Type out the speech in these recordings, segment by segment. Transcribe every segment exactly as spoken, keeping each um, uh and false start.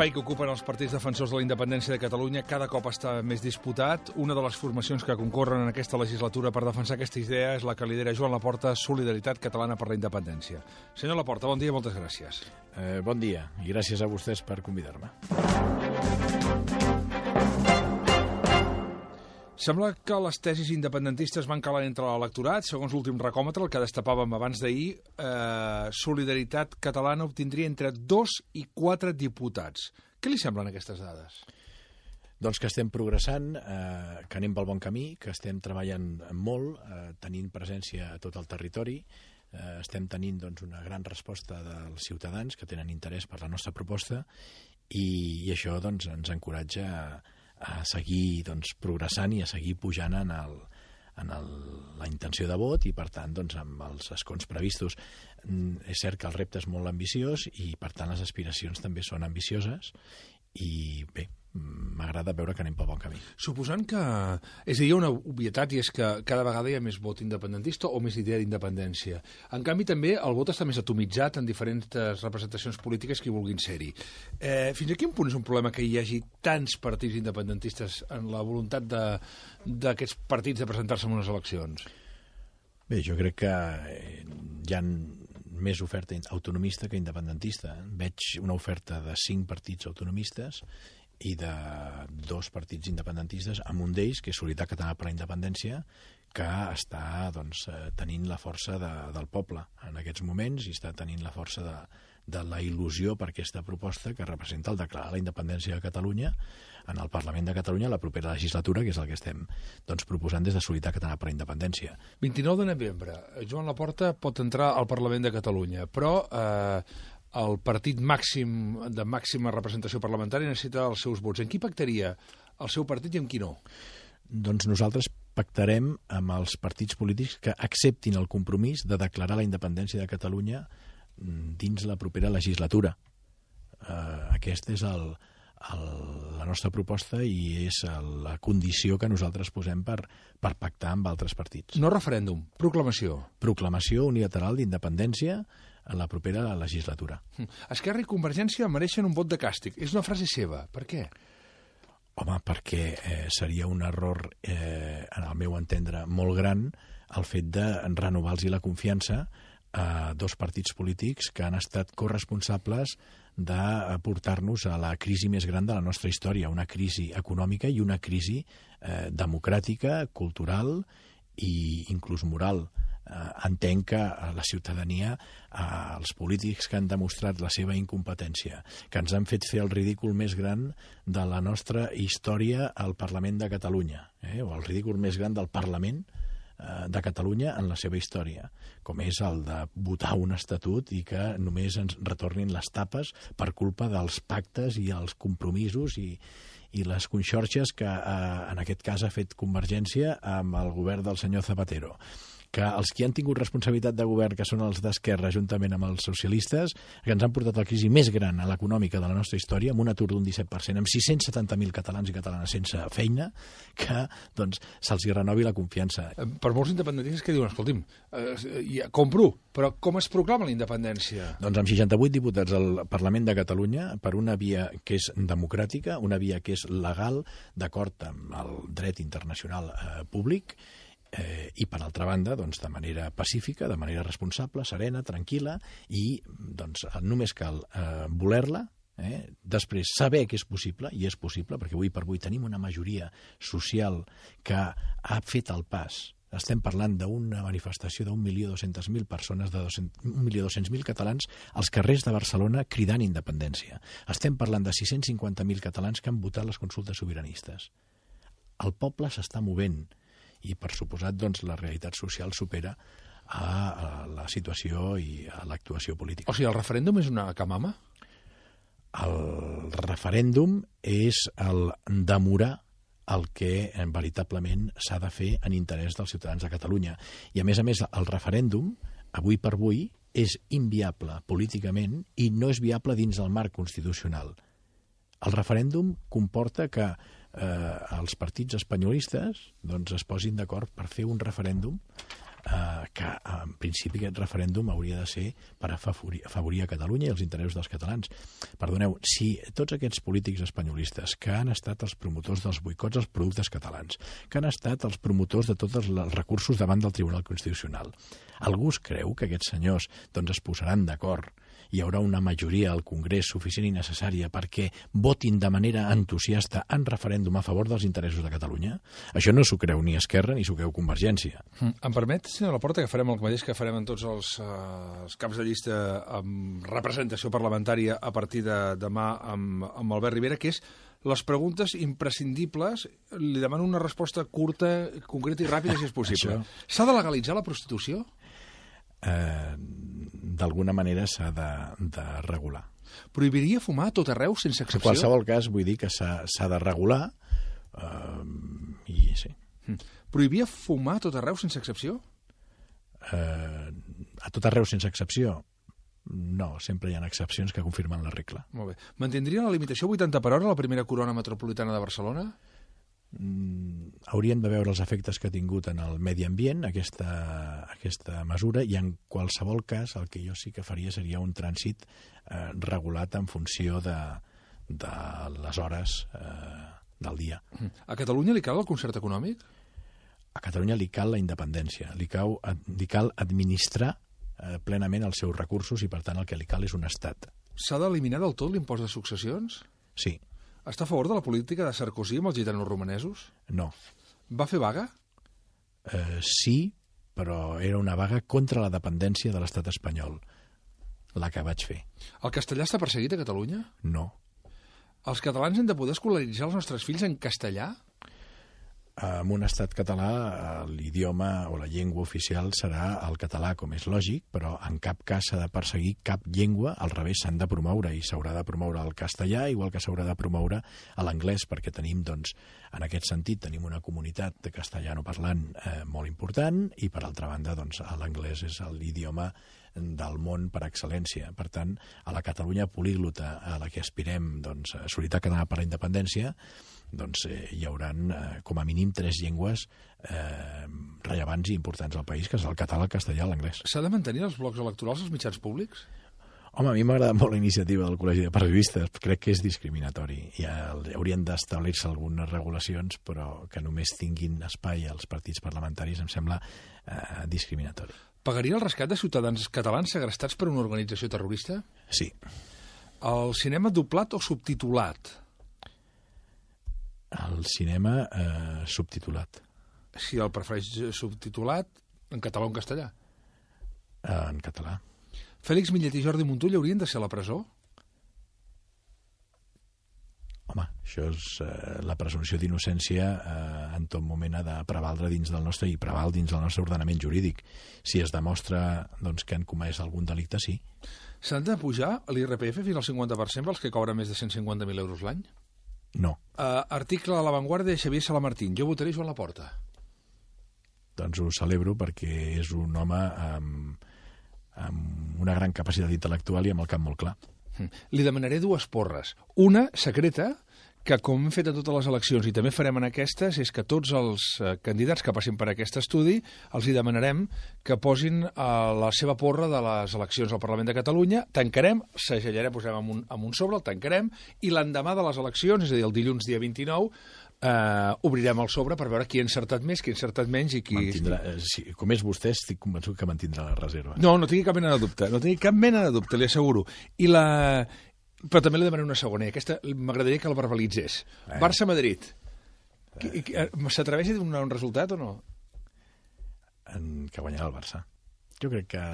L'espai que ocupen els partits defensors de la independència de Catalunya cada cop està més disputat. Una de les formacions que concorren en aquesta legislatura per defensar aquesta idea és la que lidera Joan Laporta, Solidaritat Catalana per la Independència. Senyor Laporta, bon dia i moltes gràcies. Eh, bon dia i gràcies a vostès per convidar-me. Sembla que les tesis independentistes van calar entre l'electorat. Segons l'últim recòmetre, el que destapàvem abans d'ahir, eh, Solidaritat Catalana obtindria entre dos i quatre diputats. Què li semblen aquestes dades? Doncs que estem progressant, eh, que anem pel bon camí, que estem treballant molt, eh, tenint presència a tot el territori, eh, estem tenint doncs, una gran resposta dels ciutadans que tenen interès per la nostra proposta i, i això doncs, ens encoratja a a seguir doncs, progressant i a seguir pujant en, el, en el, la intenció de vot i, per tant, doncs, amb els escons previstos. Mm, és cert que el repte és molt ambiciós i, per tant, les aspiracions també són ambicioses i, bé, m'agrada veure que anem pel bon camí. Suposant que... És a dir, hi ha una obvietat i és que cada vegada hi ha més vot independentista o més idea d'independència. En canvi, també el vot està més atomitzat en diferents representacions polítiques que hi vulguin ser-hi. Eh, fins a quin punt és un problema que hi hagi tants partits independentistes en la voluntat d'aquests partits de presentar-se en unes eleccions? Bé, jo crec que hi ha més oferta autonomista que independentista. Veig una oferta de cinc partits autonomistes i de dos partits independentistes, amb un d'ells, que és Solidaritat Catalana per la Independència, que està doncs, tenint la força de, del poble en aquests moments i està tenint la força de, de la il·lusió per aquesta proposta que representa el declarar la independència de Catalunya en el Parlament de Catalunya a la propera legislatura, que és el que estem doncs, proposant des de Solidaritat Catalana per la Independència. vint-i-nou de novembre, Joan Laporta pot entrar al Parlament de Catalunya, però eh, el partit màxim de màxima representació parlamentària necessita els seus vots. En qui pactaria el seu partit i en qui no? Doncs nosaltres pactarem amb els partits polítics que acceptin el compromís de declarar la independència de Catalunya dins la propera legislatura. Uh, aquesta és el, el, la nostra proposta i és la condició que nosaltres posem per, per pactar amb altres partits. No referèndum, proclamació. Proclamació unilateral d'independència en la propera legislatura. Esquerra i Convergència mereixen un vot de càstig. És una frase seva. Per què? Home, perquè eh, seria un error, eh, en el meu entendre, molt gran el fet de renovar-los la confiança a dos partits polítics que han estat corresponsables de portar-nos a la crisi més gran de la nostra història, una crisi econòmica i una crisi eh, democràtica, cultural i inclús moral. Uh, entenc que uh, la ciutadania, uh, els polítics que han demostrat la seva incompetència, que ens han fet fer el ridícul més gran de la nostra història al Parlament de Catalunya, eh? o el ridícul més gran del Parlament uh, de Catalunya en la seva història, com és el de votar un estatut i que només ens retornin les tapes per culpa dels pactes i els compromisos i i les conxorxes que eh, en aquest cas ha fet Convergència amb el govern del senyor Zapatero, que els que han tingut responsabilitat de govern, que són els d'Esquerra, juntament amb els socialistes, que ens han portat la crisi més gran a l'econòmica de la nostra història, amb un atur d'un disset per cent, amb sis-cents setanta mil catalans i catalanes sense feina, que doncs, se'ls renovi la confiança. Per molts independentistes que diuen, escolti'm, eh, ja, compro, però com es proclama la independència? Doncs amb seixanta-vuit diputats al Parlament de Catalunya, per una via que és democràtica, una via que és legal, d'acord amb el dret internacional eh, públic, Eh, i per altra banda, doncs, de manera pacífica, de manera responsable, serena, tranquil·la i doncs, només cal eh, voler-la, eh, després saber que és possible, i és possible perquè avui per avui tenim una majoria social que ha fet el pas. Estem parlant d'una manifestació d'un milió dos-centes mil persones, de un milió dos-cents mil catalans als carrers de Barcelona cridant independència. Estem parlant de sis-cents cinquanta mil catalans que han votat les consultes sobiranistes. El poble s'està movent i, per suposat, doncs, la realitat social supera a, a la situació i a l'actuació política. O sigui, el referèndum és una camama? El referèndum és el demorar el que veritablement s'ha de fer en interès dels ciutadans de Catalunya. I, a més a més, el referèndum, avui per avui, és inviable políticament i no és viable dins del marc constitucional. El referèndum comporta que eh, els partits espanyolistes doncs, es posin d'acord per fer un referèndum eh, que en principi aquest referèndum hauria de ser per afavorir, afavorir a Catalunya i els interessos dels catalans. Perdoneu, si tots aquests polítics espanyolistes que han estat els promotors dels boicots als productes catalans, que han estat els promotors de tots els recursos davant del Tribunal Constitucional, algú es creu que aquests senyors doncs, es posaran d'acord, hi haurà una majoria al Congrés suficient i necessària perquè votin de manera entusiasta en referèndum a favor dels interessos de Catalunya? Això no s'ho creu ni Esquerra ni s'ho creu Convergència. Mm. Em permet, senyor Laporta, que farem el mateix que farem en tots els, uh, els caps de llista amb representació parlamentària a partir de demà amb, amb Albert Rivera, que és les preguntes imprescindibles. Li demano una resposta curta, concreta i ràpida, si és possible. S'ha de legalitzar la prostitució? Eh, d'alguna manera s'ha de, de regular. Prohibiria fumar a tot arreu sense excepció? En qualsevol cas, vull dir que s'ha de regular eh, i sí. Prohibia fumar a tot arreu sense excepció? Eh, a tot arreu sense excepció? No, sempre hi ha excepcions que confirmen la regla. Molt bé. Mantindria la limitació vuitanta per hora a la primera corona metropolitana de Barcelona? Mm, hauríem de veure els efectes que ha tingut en el medi ambient aquesta, aquesta mesura, i en qualsevol cas el que jo sí que faria seria un trànsit eh, regulat en funció de, de les hores eh, del dia. A Catalunya li cal el concert econòmic? A Catalunya li cal la independència, li cal, li cal administrar eh, plenament els seus recursos i per tant el que li cal és un estat. S'ha d'eliminar del tot l'impost de successions? Sí. Està a favor de la política de Sarkozy amb els gitanos romanesos? No. Va fer vaga? Eh, sí, però era una vaga contra la dependència de l'estat espanyol, la que vaig fer. El castellà està perseguit a Catalunya? No. Els catalans hem de poder escolaritzar els nostres fills en castellà? En un estat català l'idioma o la llengua oficial serà el català, com és lògic, però en cap cas s'ha de perseguir cap llengua, al revés, s'han de promoure i s'haurà de promoure el castellà, igual que s'haurà de promoure l'anglès, perquè tenim, doncs, en aquest sentit, tenim una comunitat de castellanoparlant eh, molt important i, per altra banda, doncs, l'anglès és l'idioma del món per excel·lència. Per tant, a la Catalunya políglota a la que aspirem, doncs, a Solidaritat Catalana per la Independència, doncs eh, hi haurà eh, com a mínim tres llengües eh, rellevants i importants al país, que és el català, el castellà i l'anglès. S'ha de mantenir els blocs electorals als mitjans públics? Home, a mi m'agrada molt la iniciativa del Col·legi de Periodistes, crec que és discriminatori. Ja haurien d'establir-se algunes regulacions, però que només tinguin espai als partits parlamentaris em sembla eh, discriminatori. Pagaria el rescat de ciutadans catalans segrestats per una organització terrorista? Sí. El cinema doblat o subtitulat? El cinema eh, subtitulat. Si el prefereix subtitulat, en català o en castellà? Eh, en català. Fèlix Millet i Jordi Montull haurien de ser a la presó? Home, això és eh, la presumpció d'innocència eh, en tot moment ha de prevaldre dins del nostre i preval dins del nostre ordenament jurídic. Si es demostra doncs, que han comès algun delicte, sí. S'han de pujar l'I R P F fins al cinquanta per cent pels que cobren més de cent cinquanta mil euros l'any? No. Uh, article a La Vanguardia de Xavier Salamartín. Jo votaré Joan Laporta. Doncs ho celebro perquè és un home amb, amb una gran capacitat intel·lectual i amb el cap molt clar. Li demanaré dues porres. Una, secreta, que com hem fet a totes les eleccions i també farem en aquestes, és que tots els eh, candidats que passin per aquest estudi els hi demanarem que posin eh, la seva porra de les eleccions al Parlament de Catalunya, tancarem, segellarem, posarem en un, en un sobre, el tancarem, i l'endemà de les eleccions, és a dir, el dilluns dia vint-i-nou, Uh, obrirem el sobre per veure qui ha encertat més, qui ha encertat menys i qui... Mantindrà, eh, si, com és vostè, estic convençut que mantindrà la reserva. No, no tingui cap mena de dubte, no tingui cap mena de dubte, li asseguro. I la... Però també li demanaré una segona, i aquesta m'agradaria que la verbalitzés. Eh. Barça-Madrid. Eh. S'atreveix a donar un resultat o no? En que guanyarà el Barça. Jo crec que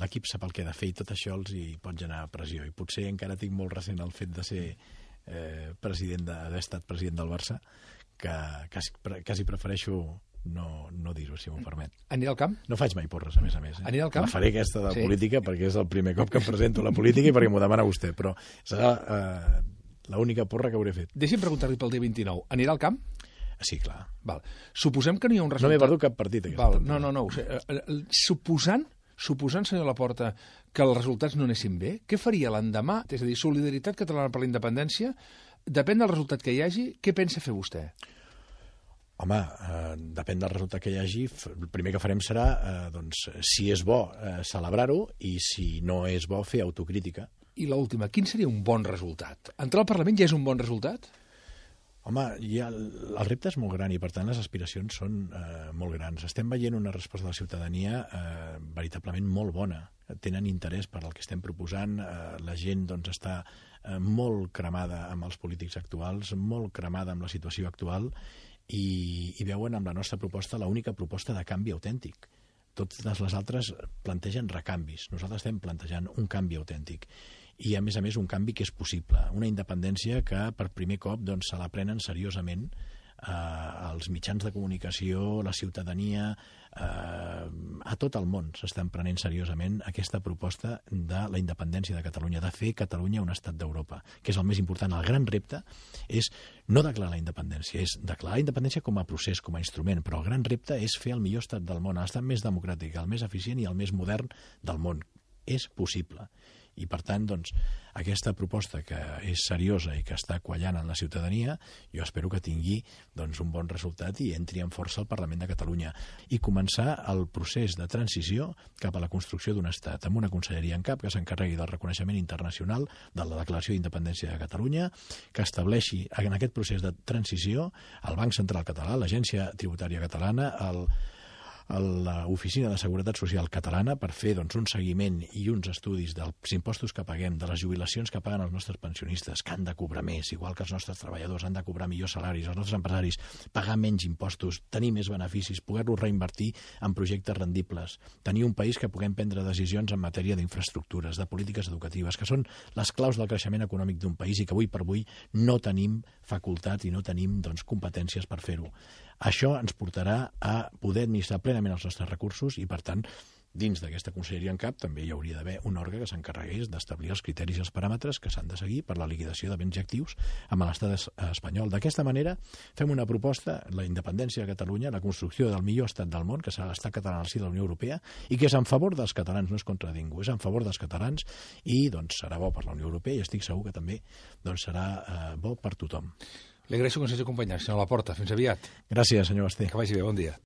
l'equip sap el que ha de fer i tot això els hi pot generar pressió. I potser encara tinc molt recent el fet de ser... Eh, president d'haver estat president del Barça, que quasi, quasi prefereixo no, no dir-ho, si m'ho permet. Anirà al camp? No faig mai porres, a més a més. Eh? Anirà al camp? La faré aquesta de sí. política, perquè és el primer cop que em presento a la política i perquè m'ho demana vostè, però serà eh, l'única porra que hauré fet. Deixi'm preguntar-li pel dia vint-i-nou. Anirà al camp? Sí, clar. Val. Suposem que no hi ha un resultat... No m'he perdut cap partit. Val. No, no, no. Suposant... Suposant, senyor Laporta, que els resultats no anessin bé, què faria l'endemà? És a dir, Solidaritat Catalana per la Independència, depèn del resultat que hi hagi, què pensa fer vostè? Home, eh, depèn del resultat que hi hagi. El primer que farem serà, eh, doncs, si és bo, eh, celebrar-ho, i si no és bo, fer autocrítica. I l'última, quin seria un bon resultat? Entrar al Parlament ja és un bon resultat? Home, ja, el repte és molt gran i, per tant, les aspiracions són eh, molt grans. Estem veient una resposta de la ciutadania eh, veritablement molt bona. Tenen interès per al que estem proposant. Eh, la gent doncs, està eh, molt cremada amb els polítics actuals, molt cremada amb la situació actual, i, i veuen amb la nostra proposta l'única proposta de canvi autèntic. Totes les altres plantegen recanvis. Nosaltres estem plantejant un canvi autèntic. I, a més a més, un canvi que és possible. Una independència que, per primer cop, doncs, se la prenen seriosament eh, els mitjans de comunicació, la ciutadania, eh, a tot el món s'estan prenent seriosament aquesta proposta de la independència de Catalunya, de fer Catalunya un estat d'Europa, que és el més important. El gran repte és no declarar la independència, és declarar la independència com a procés, com a instrument, però el gran repte és fer el millor estat del món, l'estat més democràtic, el més eficient i el més modern del món. És possible. I, per tant, doncs, aquesta proposta que és seriosa i que està quallant en la ciutadania, jo espero que tingui doncs, un bon resultat i entri amb força al Parlament de Catalunya i començar el procés de transició cap a la construcció d'un estat, amb una conselleria en cap que s'encarregui del reconeixement internacional de la Declaració d'Independència de Catalunya, que estableixi en aquest procés de transició el Banc Central Català, l'Agència Tributària Catalana, el l'Oficina de Seguretat Social Catalana, per fer doncs, un seguiment i uns estudis dels impostos que paguem, de les jubilacions que paguen els nostres pensionistes, que han de cobrar més, igual que els nostres treballadors han de cobrar millors salaris, els nostres empresaris pagar menys impostos, tenir més beneficis, poder-los reinvertir en projectes rendibles, tenir un país que puguem prendre decisions en matèria d'infraestructures, de polítiques educatives, que són les claus del creixement econòmic d'un país i que avui per avui no tenim facultat i no tenim doncs, competències per fer-ho. Això ens portarà a poder administrar plenament els nostres recursos i, per tant, dins d'aquesta conselleria en cap també hi hauria d'haver un òrgan que s'encarregués d'establir els criteris i els paràmetres que s'han de seguir per la liquidació de béns i actius amb l'estat espanyol. D'aquesta manera fem una proposta, la independència de Catalunya, la construcció del millor estat del món, que serà l'estat català al si de la Unió Europea, i que és en favor dels catalans, no és contra ningú, és en favor dels catalans i doncs, serà bo per la Unió Europea i estic segur que també doncs, serà eh, bo per tothom. Li agraeixo que ens hagi acompanyat, senyor Laporta. Fins aviat. Gràcies, senyor Basté. Que vagi bé, bon dia.